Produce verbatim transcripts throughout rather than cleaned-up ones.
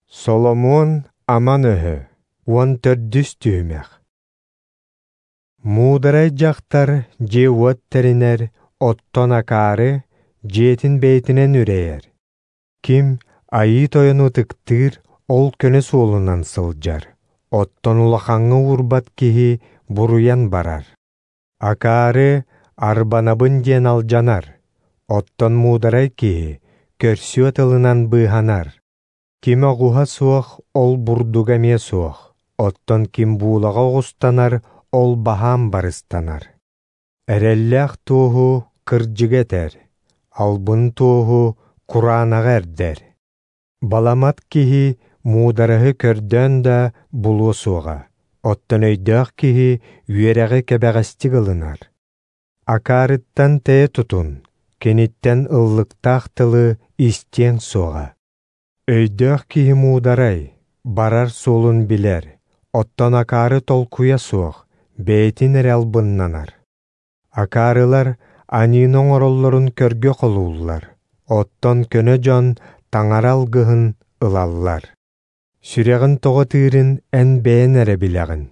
Соломуон аман өһө уон төрдүс түһүмэх. Муударай дьахтар дьиэ-уот тэринэр, оттон акаары дьиэтин бэйэтинэн үрэйэр. Ким Айыы Тойону ытыктыыр, ол көнө суолунан сылдьар, оттон улахаҥҥа уурбат киһи буруйан барар. Акаары арбанабын диэн алдьанар, оттон муударай киһи көрсүө тылынан быыһанар. Ким оҕуһа суох, ол бурдуга эмиэ суох, оттон ким буулаҕа оҕустанар, ол баһаам барыстанар. Эрэллээх туоһу кырдьыгы этэр, албын туоһу кураанаҕа эрдэр. Баламат киһи муудараһы көрдөөн да булуо суоҕа, оттон өйдөөх киһи үөрэҕи кэбэҕэстик ылынар. Акаарыттан тэйэ тутун, киниттэн ыллыктаах тылы истиэҥ суоҕа. Өйдөөх киһи муударай, барар суолун билэр, оттон акаары толкуйа суох, бэйэтин эрэ албыннанар. Акаарылар аньыыны оҥороллорун көргө холууллар, оттон көнө дьон таҥара алгыһын ылаллар. Сүрэҕин тоҕо тыырын эн бэйэн эрэ билэҕин,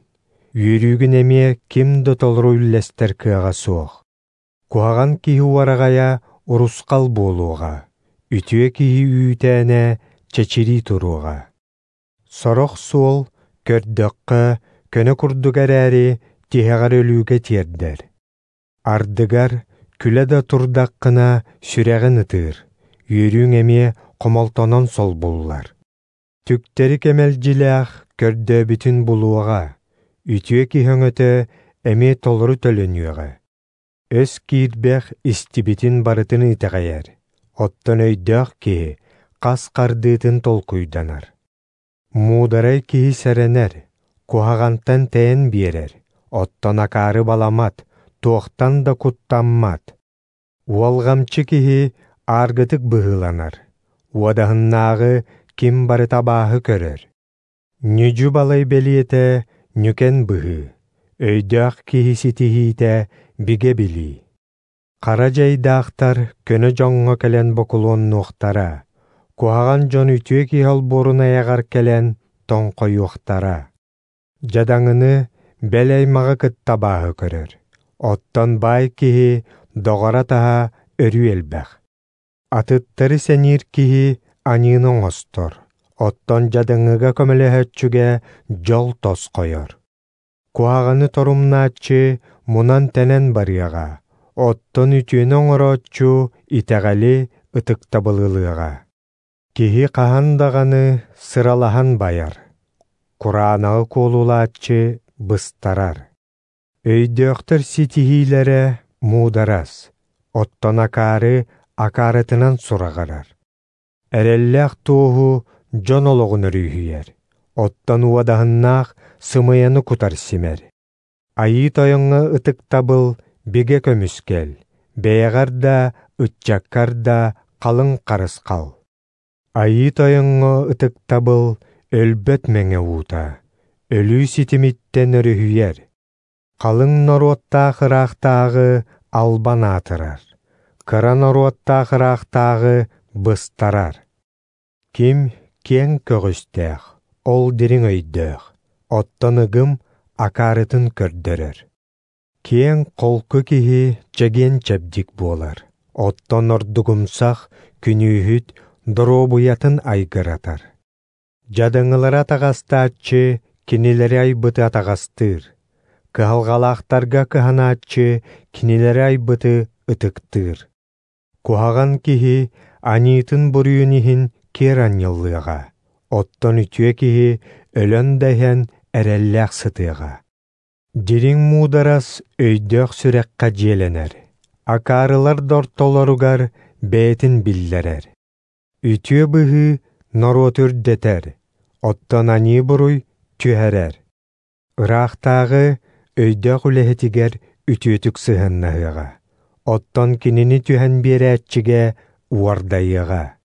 үөрүүгүн эмиэ ким да толору үллэстэр кыаҕа суох. Куһаҕан киһи уораҕайа урусхал буолуоҕа, үтүө киһи үүтээнэ чэчирии туруоҕа. Сорох суол көрдөххө көнө курдук эрээри тиһэҕэр өлүүгэ тиэрдэр. Ардыгар күлэ да турдаххына сүрэҕин ытыыр, үөрүүҥ эмиэ хомолтонон солбуллар. Түктэри кэмэлдьилээх көрдөөбүтүн булуоҕа, үтүө киһи өҥөтө эмиэ толору төлөнүөҕэ. Өс киирбэх истибитин барытын итэҕэйэр, оттон өйдөөх киһи хас хардыытын толкуйданар. Муударай киһи сэрэнэр, куһаҕантан тэйэн биэрэр, оттон акаары баламат, туохтан да куттаммат. Уолҕамчы киһи ааргытык быһыыланар, уодаһыннааҕы ким барыта абааһы көрөр. Ньүдьү балай бэлиэтэ ньүкэн быһыы, өйдөөх киһи ситиһиитэ бигэ билии. Хара дьайдаахтар көнө дьоҥҥо кэлэн бокулуоннуохтара, куһаҕан дьон үтүө киһи олбуорун айаҕар кэлэн тоҥхойуохтара. Дьадаҥыны бэл аймаҕы кытта абааһы көрөр, оттон баай киһи доҕоро-атаһа өрүү элбэх. Атыттары сэниир киһи аньыыны оҥостор, оттон дьадаҥыга көмөлөһөөччүгэ дьол тосхойор. Куһаҕаны торумнааччы мунан-тэнэн барыаҕа, оттон үтүөнү оҥорооччу итэҕэли ытыктабылылыаҕа. Киһи хаһан даҕаны сыралаһан байар, кураанаҕы куолулааччы быстарар. Өйдөөхтөр ситиһиилэрэ муударас, оттон акаары акаарытынан сураҕырар. Эрэллээх туоһу дьон олоҕун өрүһүйэр, оттон уодаһыннаах сымыйаны кутар симэр. Айыы Тойоҥҥо ытыктабыл бигэ көмүскэл, бэйэҕэр да, ыччаккар да халыҥ харысхал. Айыы Тойоҥҥо ытыктабыл өлбөт мэҥэ уута, өлүү ситимиттэн өрүһүйэр. Халыҥ норуоттаах ыраахтааҕы албан аатырар, кыра норуоттаах ыраахтааҕы быстарар. Ким киэҥ көҕүстээх, ол дириҥ өйдөөх, оттон ыгым акаарытын көрдөрөр. Киэҥ холку киһи чэгиэн-чэбдик буолар, оттон ордугумсах күнүүһүт доруобуйатын айгыратар. Дьадаҥылары атаҕастааччы кинилэри айбыты атаҕастыыр, кыһалҕалаахтарга кыһанааччы кинилэри айбыты ытыктыыр. Куһаҕан киһи аньыытын буруйун иһин киэр анньыллыаҕа, оттон үтүө киһи өлөн да иһэн эрэллээх сытыаҕа. Дириҥ муударас өйдөөх сүрэххэ дьиэлэнэр, акаарылар да ортолоругар бэйэтин биллэрэр. Үтүө быһыы норуоту үрдэтэр, оттон аньыы буруй түһэрэр. Ыраахтааҕы өйдөөх үлэһитигэр үтүөтүк сыһыаннаһыаҕа, оттон кинини түһэн биэрээччигэ уордайыаҕа.